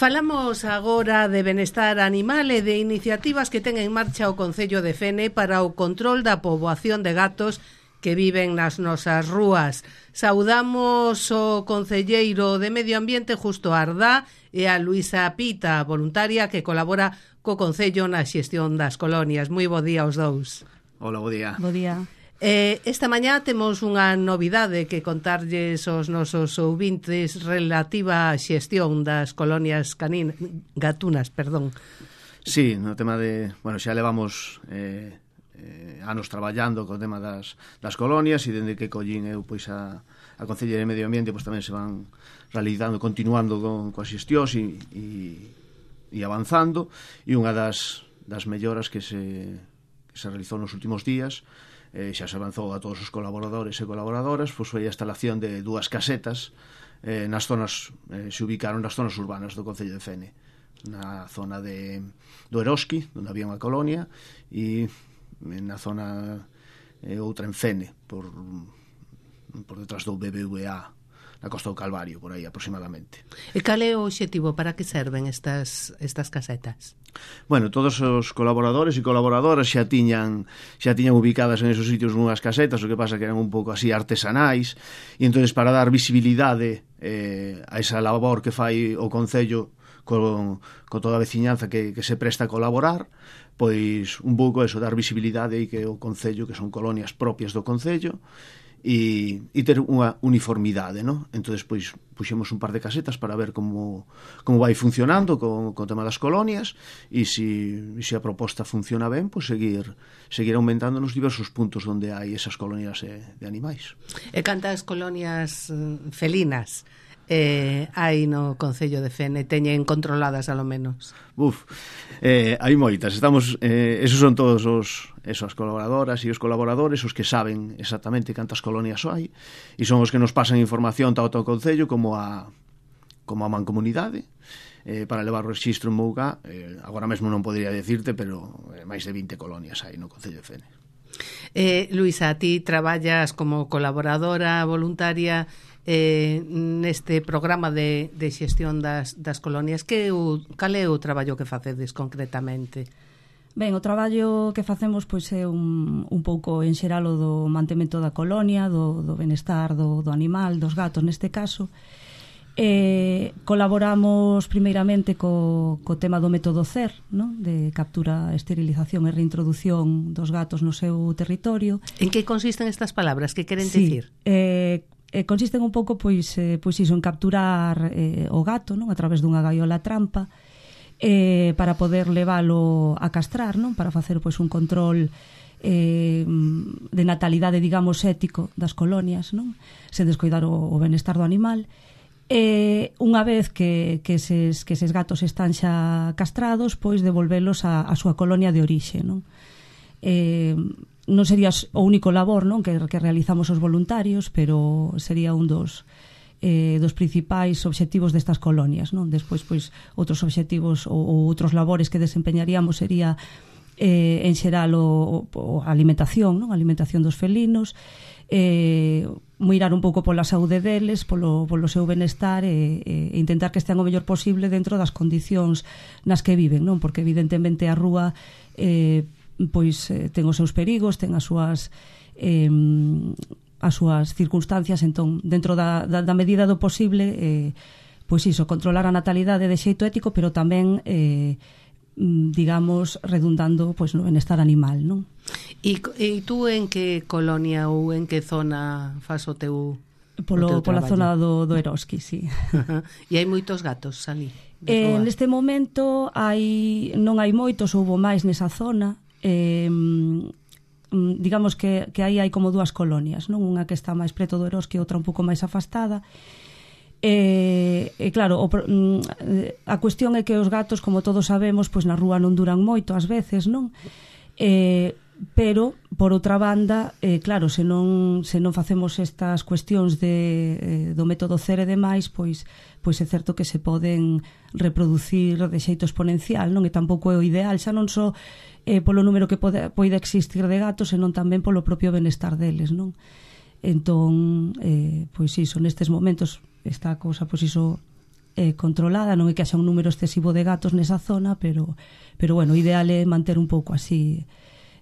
Falamos agora de benestar animal e de iniciativas que ten en marcha o Concello de Fene para o control da poboación de gatos que viven nas nosas rúas. Saudamos o concelleiro de Medio Ambiente, Justo Ardá, e a Luisa Pita, voluntaria que colabora co Concello na xestión das colonias. Moi bo día aos dous. Hola, bo día. Bo día. Esta mañá temos unha novidade que contarlles aos nosos ouvintes relativa á xestión das colonias gatunas. Sí, no tema de... Bueno, xa levamos anos traballando co tema das colonias, e dende que collín eu pois a Concellería de Medio Ambiente pois tamén se van realizando, continuando coas xestións e avanzando, e unha das melloras que se realizou nos últimos días, xa se avanzou a todos os colaboradores e colaboradoras, pois foi a instalación de 2 casetas nas zonas, se ubicaron nas zonas urbanas do Concello de Fene, na zona do Eroski, onde había unha colonia, e na zona outra en Fene, por detrás do BBVA, na Costa do Calvario, por aí aproximadamente. E cal é o obxectivo? Para que serven estas casetas? Bueno, todos os colaboradores e colaboradoras xa tiñan ubicadas en esos sitios nunhas casetas, o que pasa que eran un pouco así artesanais, e entonces para dar visibilidade a esa labor que fai o Concello con toda a veciñanza que se presta a colaborar, pois un pouco eso, dar visibilidade e que o Concello, que son colonias propias do Concello, e ter unha uniformidade, non? Entonces, pois, puxemos un par de casetas para ver como vai funcionando co tema das colonias, e se a proposta funciona ben, pois seguir aumentando nos diversos puntos onde hai esas colonias de animais. E cantas colonias felinas hai no Concello de Fene? Teñen controladas, alo menos? Hai moitas. Esos son todos as colaboradoras e os colaboradores os que saben exactamente cantas colonias hai, e son os que nos pasan información tanto ao Concello como a Mancomunidade para levar o rexistro en Mouga. Agora mesmo non podría decirte, pero máis de 20 colonias hai no Concello de Fene. Luisa, ti traballas como colaboradora voluntaria neste programa de xestión das colonias. Cal é o traballo que facedes concretamente? Ben, o traballo que facemos pois é un pouco en xeral o do mantemento da colonia, do benestar do animal, dos gatos neste caso. Colaboramos primeiramente co tema do método CER, non? De captura, esterilización e reintroducción dos gatos no seu territorio. En que consisten estas palabras? Que queren dicir? Consisten un pouco pois iso, en capturar o gato, non? A través dunha gaiola trampa, para poder leválo a castrar, non? Para facer pois un control de natalidade, digamos, ético das colonias, non? Sen descoidar o benestar do animal. Unha vez que eses gatos están xa castrados, pois devolvelos a súa colonia de orixe, non? Non sería o único labor, non, que realizamos os voluntarios, pero sería un dos principais obxectivos destas colonias, non? Despois, pois, outros obxectivos ou outros labores que desempeñaríamos sería en xeral a alimentación, non? A alimentación dos felinos, mirar un pouco pola saúde deles, polo seu benestar, e intentar que estean o mellor posible dentro das condicións nas que viven, non? Porque evidentemente a rúa pois ten os seus perigos, ten as súas circunstancias. Entón, dentro da medida do posible, pois iso, controlar a natalidade de xeito ético, pero tamén digamos, redundando pois no benestar animal, non? E tú en que colonia ou en que zona fas o teu pola zona do Eroski, sí. E hai moitos gatos ali? Neste momento non hai moitos, houbo máis nesa zona. Digamos que aí hai como 2 colonias, non? Unha que está máis preto do Eroski e outra un pouco máis afastada. Claro, a cuestión é que os gatos, como todos sabemos, pois na rúa non duran moito ás veces, non? Pero, por outra banda, claro, se non facemos estas cuestións do método CER e demais, pois é certo que se poden reproducir de xeito exponencial, non? E tampouco é o ideal, xa non só polo número que poida existir de gatos, senón tamén polo propio benestar deles, non? Entón, pois iso, nestes momentos está a cousa, pois iso, controlada, non é que haxa un número excesivo de gatos nesa zona, pero bueno, o ideal é manter un pouco así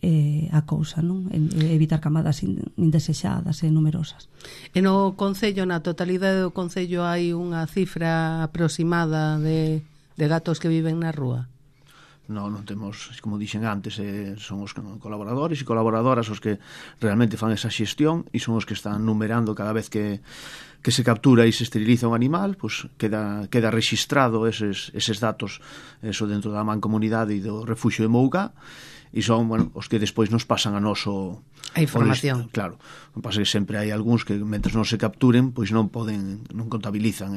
a cousa, non? Evitar camadas indesexadas e numerosas. E no Concello, na totalidade do Concello, hai unha cifra aproximada de gatos que viven na rúa? Non temos, como dixen antes, son os colaboradores e colaboradoras os que realmente fan esa xestión e son os que están numerando cada vez que se captura e se esteriliza un animal, pues queda rexistrado eses datos eso dentro da mancomunidade e do refuxio de Mougá, e son, bueno, os que despois nos pasan a noso a información. Claro, pasa que sempre hai algúns que mentre non se capturen, pois non contabilizan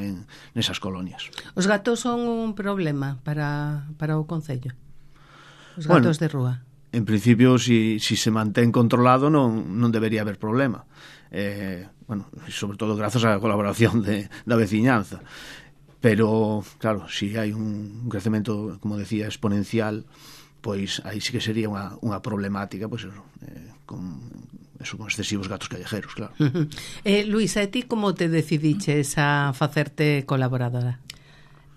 nesas colonias. Os gatos son un problema para o Concello? Os gatos de rúa? En principio, si se mantén controlado, non debería haber problema. Bueno, sobre todo grazas á colaboración da veciñanza. Pero, claro, si hai un crecemento, como decía, exponencial, pois aí sí que sería unha problemática, pois con excesivos gatos callejeros, claro. Luís, a ti como te decidiches a facerte colaboradora?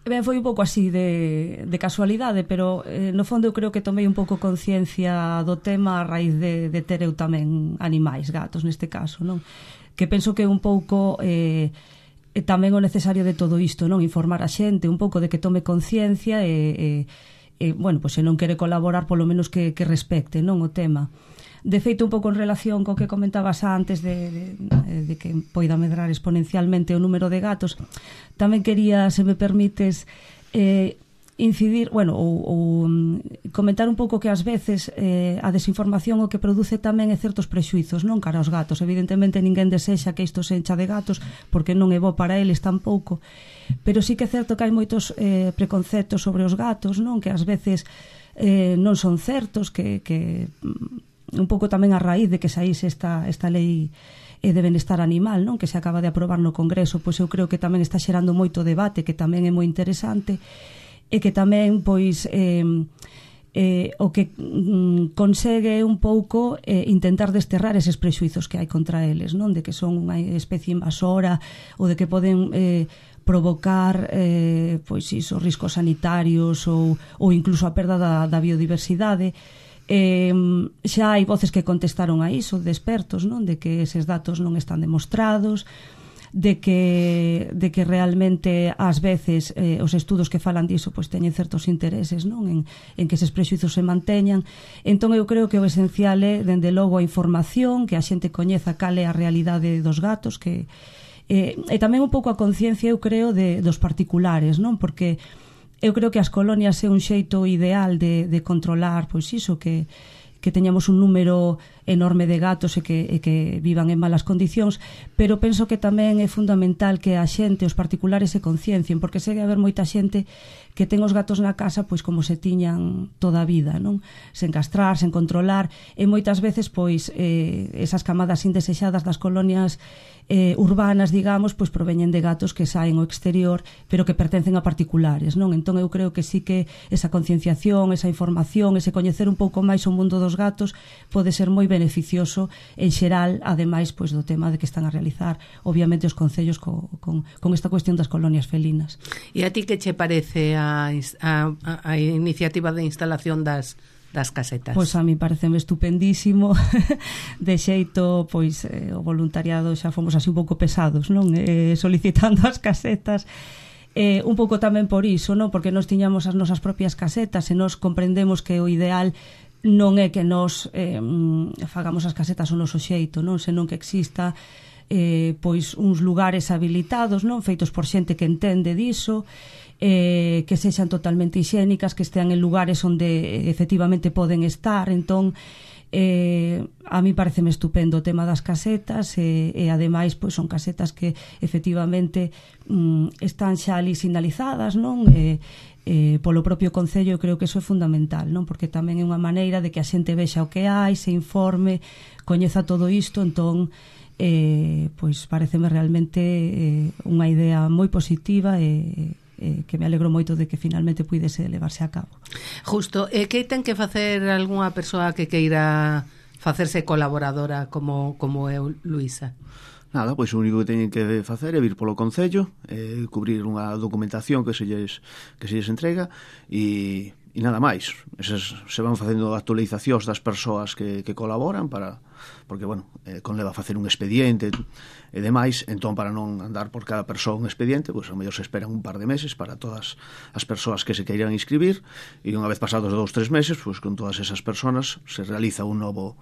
Ben, foi un pouco así de casualidade, pero no fondo eu creo que tomei un pouco conciencia do tema a raíz de ter eu tamén animais, gatos neste caso, non? Que penso que un pouco tamén o necesario de todo isto, non? Informar a xente un pouco de que tome conciencia bueno, pois se non quere colaborar, polo menos que respecte, non, o tema. De feito, un pouco en relación co que comentabas antes de que poida medrar exponencialmente o número de gatos, tamén quería, se me permites, incidir, bueno, ou comentar un pouco que ás veces a desinformación o que produce tamén é certos prexuizos, non, cara aos gatos. Evidentemente ninguén desexa que isto se encha de gatos, porque non é bo para eles tampouco, pero sí que é certo que hai moitos preconceptos sobre os gatos, non, que ás veces non son certos, que un pouco tamén a raíz de que saíse esta lei de benestar animal, non, que se acaba de aprobar no Congreso, pois eu creo que tamén está xerando moito debate, que tamén é moi interesante, e que tamén pois o que consegue un pouco intentar desterrar eses prexuizos que hai contra eles, non, de que son unha especie invasora ou de que poden provocar pois iso, riscos sanitarios ou incluso a perda da biodiversidade. Xa hai voces que contestaron a iso, de expertos, non, de que eses datos non están demostrados, de que realmente ás veces os estudos que falan diso pois teñen certos intereses, non, en que eses prexuizos se manteñan. Entón eu creo que o esencial é, dende logo, a información, que a xente coñeza cal é a realidade dos gatos, que e tamén un pouco a conciencia, eu creo, dos particulares, non, porque eu creo que as colonias é un xeito ideal de controlar, pois iso, que teñamos un número enorme de gatos e que vivan en malas condicións, pero penso que tamén é fundamental que a xente, os particulares, se conciencien, porque segue haber moita xente que ten os gatos na casa pois como se tiñan toda a vida, non? Sen castrar, sen controlar, e moitas veces pois esas camadas indesexadas das colonias urbanas, digamos, pois proveñen de gatos que saen ao exterior, pero que pertencen a particulares, non? Entón eu creo que sí que esa concienciación, esa información, ese coñecer un pouco máis o mundo dos gatos pode ser moi beneficioso en xeral, ademais pois do tema de que están a realizar obviamente os concellos con esta cuestión das colonias felinas. E a ti que che parece a iniciativa de instalación das casetas? Pois a mí pareceme estupendísimo. De xeito, pois o voluntariado xa fomos así un pouco pesados, non? Solicitando as casetas, un pouco tamén por iso, non? Porque nós tiñamos as nosas propias casetas e nós comprendemos que o ideal non é que nós fagamos as casetas ao noso xeito, non? Senón que exista pois uns lugares habilitados, non? Feitos por xente que entende diso, que sexan totalmente hixiénicas, que estean en lugares onde efectivamente poden estar. Entón a mí pareceme estupendo o tema das casetas e ademais pois son casetas que efectivamente están xa ali sinalizadas, non? Polo propio Concello. Eu creo que eso é fundamental, non? Porque tamén é unha maneira de que a xente vexa o que hai, se informe, coñeza todo isto. Entón pois pareceme realmente unha idea moi positiva e que me alegro moito de que finalmente puidese levarse a cabo. Justo, que ten que facer algunha persoa que queira facerse colaboradora como eu, Luísa? Nada, pois o único que teñen que facer é vir polo Concello, cubrir unha documentación que se lles entrega e nada máis. Esas se van facendo actualizacións das persoas que colaboran porque, bueno, conleva facer un expediente e demais, entón para non andar por cada persoa un expediente, pois ao mellor se esperan un par de meses para todas as persoas que se queiran inscribir e unha vez pasados 2-3 meses, pois con todas esas persoas se realiza un novo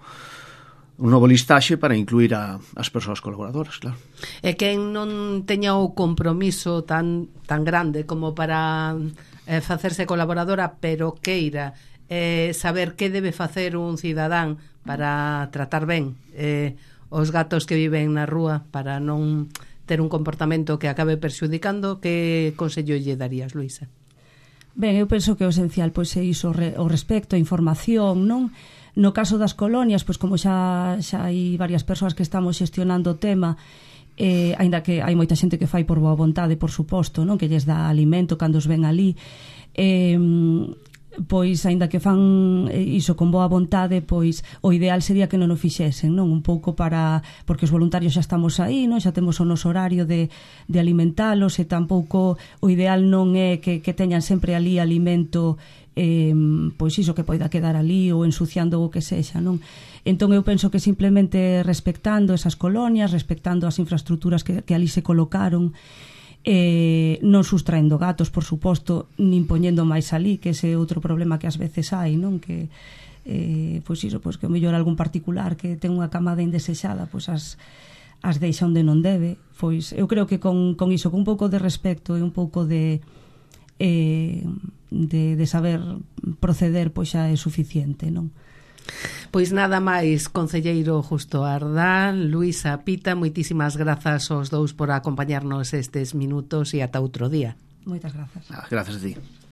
listaxe para incluir as persoas colaboradoras, claro. E quen non teña o compromiso tan grande como para facerse colaboradora, pero queira saber que debe facer un cidadán para tratar ben os gatos que viven na rúa, para non ter un comportamento que acabe perxudicando, que consello lle darías, Luisa? Ben, eu penso que o esencial pois é iso, o respecto, a información, non? No caso das colonias, pois como xa hai varias persoas que estamos xestionando o tema, aínda que hai moita xente que fai por boa vontade, por suposto, non, que lles dá alimento cando os ven ali, pois aínda que fan iso con boa vontade, pois o ideal sería que non o fixesen, non, un pouco porque os voluntarios xa estamos aí, non, xa temos o noso horario de alimentalos, e tampouco o ideal non é que teñan sempre ali alimento pois iso que poida quedar ali ou ensuciando o que sexa, non? Entón eu penso que simplemente respectando esas colonias, respectando as infraestructuras que ali se colocaron, non sustraendo gatos, por suposto, nin poñendo máis ali, que ese é outro problema que ás veces hai, non? Que pois iso, pois que o mellor algún particular que ten unha camada indesexada, pois as deixa onde non debe. Pois eu creo que con iso, con un pouco de respecto e un pouco de saber proceder, pois xa é suficiente, non? Pois nada máis, concelleiro Justo Ardán, Luisa Pita, moitísimas grazas aos dous por acompañarnos estes minutos e ata outro día. Moitas grazas. Grazas a ti.